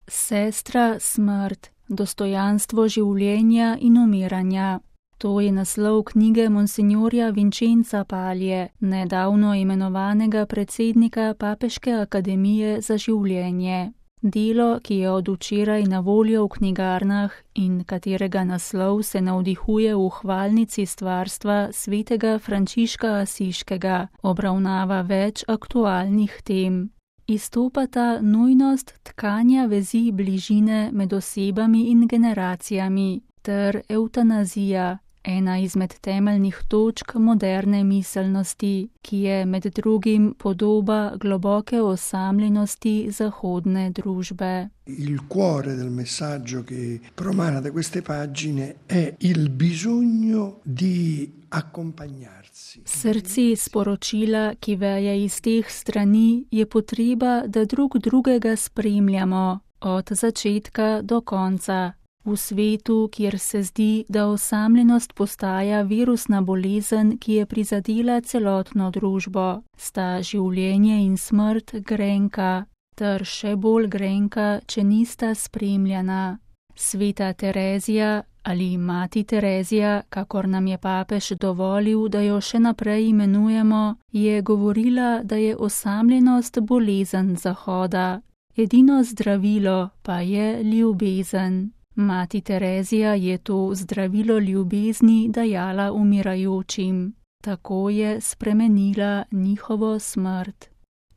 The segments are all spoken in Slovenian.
Sestra smrt, dostojanstvo življenja in umiranja. To je naslov knjige monsinjorja Vincenza Palje, nedavno imenovanega predsednika Papeške akademije za življenje. Delo, ki je od včeraj na voljo v knjigarnah in katerega naslov se navdihuje v hvalnici stvarstva svetega Frančiška Asiškega, obravnava več aktualnih tem. Izstopata nujnost tkanja vezi bližine med osebami in generacijami ter evtanazija, ena izmed temeljnih točk moderne miselnosti, ki je med drugim podoba globoke osamljenosti zahodne družbe. Il cuore del messaggio che promana da queste pagine è il bisogno di accompagnarsi. Srci sporočila, ki veje iz teh strani, je potreba, da drug drugega spremljamo od začetka do konca. V svetu, kjer se zdi, da osamljenost postaja virusna bolezen, ki je prizadela celotno družbo, sta življenje in smrt grenka, ter še bolj grenka, če nista spremljana. Sveta Terezija ali mati Terezija, kakor nam je papež dovolil, da jo še naprej imenujemo, je govorila, da je osamljenost bolezen Zahoda. Edino zdravilo pa je ljubezen. Mati Terezija je to zdravilo ljubezni dajala umirajočim. Tako je spremenila njihovo smrt.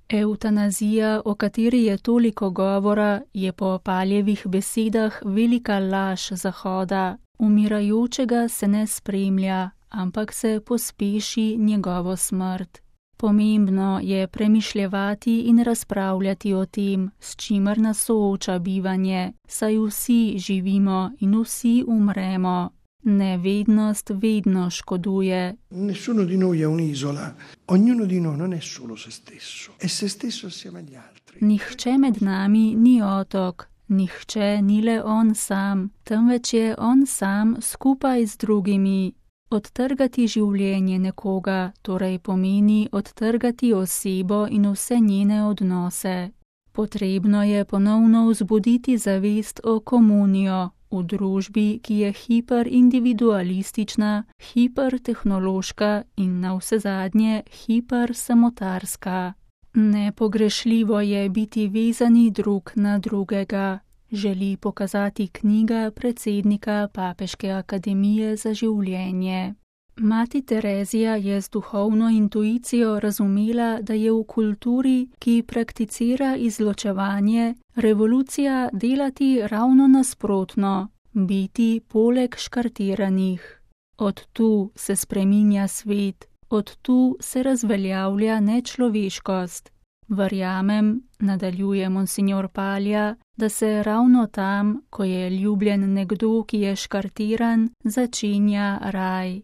Evtanazija, o kateri je toliko govora, je po Paljevih besedah velika laž Zahoda. Umirajočega se ne spremlja, ampak se pospeši njegovo smrt. Pomembno je premišljevati in razpravljati o tem, s čimer nas sooča bivanje, saj vsi živimo in vsi umremo. Nevednost vedno škoduje. Nessuno di noi è un'isola, ognuno di noi non è solo se stesso, è se stesso assieme agli altri. Nihče med nami ni otok, nihče ni le on sam, temveč je on sam skupaj z drugimi. Odtrgati življenje nekoga torej pomeni odtrgati osebo in vse njene odnose. Potrebno je ponovno vzbuditi zavest o komunijo v družbi, ki je hiperindividualistična, hipertehnološka in navsezadnje hipersamotarska. Nepogrešljivo je biti vezani drug na drugega, želi pokazati knjiga predsednika Papeške akademije za življenje. Mati Terezija je z duhovno intuicijo razumela, da je v kulturi, ki prakticira izločevanje, revolucija delati ravno nasprotno, biti poleg škartiranih. Od tu se spreminja svet, od tu se razveljavlja nečloveškost. Verjamem, nadaljuje monsinjor Palja, da se ravno tam, ko je ljubljen nekdo, ki je škartiran, začenja raj.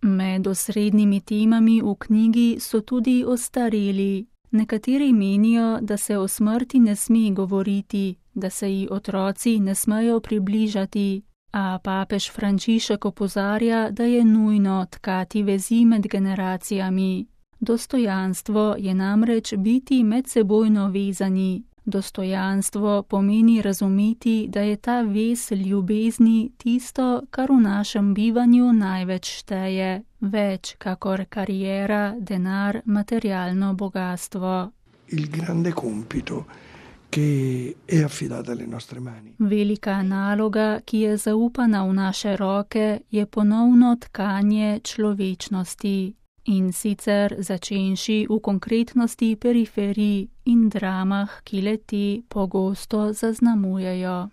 Med osrednjimi temami v knjigi so tudi ostareli. Nekateri menijo, da se o smrti ne sme govoriti, da se ji otroci ne smejo približati, a papež Frančišek opozarja, da je nujno tkati vezi med generacijami. Dostojanstvo je namreč biti medsebojno vezani. Dostojanstvo pomeni razumeti, da je ta vez ljubezni tisto, kar v našem bivanju največ šteje, več kakor kariera, denar, materialno bogastvo. Il grande compito che è affidato alle nostre mani. Velika naloga, ki je zaupana v naše roke, je ponovno tkanje človečnosti. In sicer začenši v konkretnosti periferij in dramah, ki le te pogosto zaznamujejo.